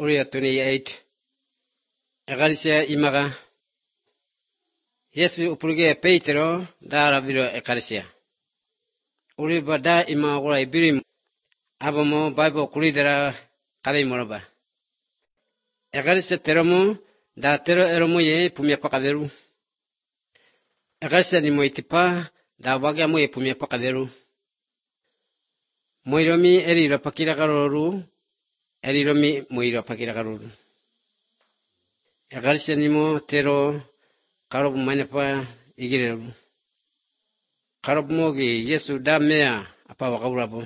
Uriya 28. Ecclesia imaga. Yesu upurige Petero dara viro ecclesia. Uri bada ima ura ibiri abomo Bible kulidera kade moraba. Ecclesia teromo da tero eromo ye pumia pakaderu. Ecclesia ni moitipa da waga mo ye pumia pakaderu. Moiromi eriro pakira karoru. Eriromi moiro pakira karoru. Ecclesia ni mo tero karobu manepa igireru. Karobu mogi Yesu da mea apa wakaurabo.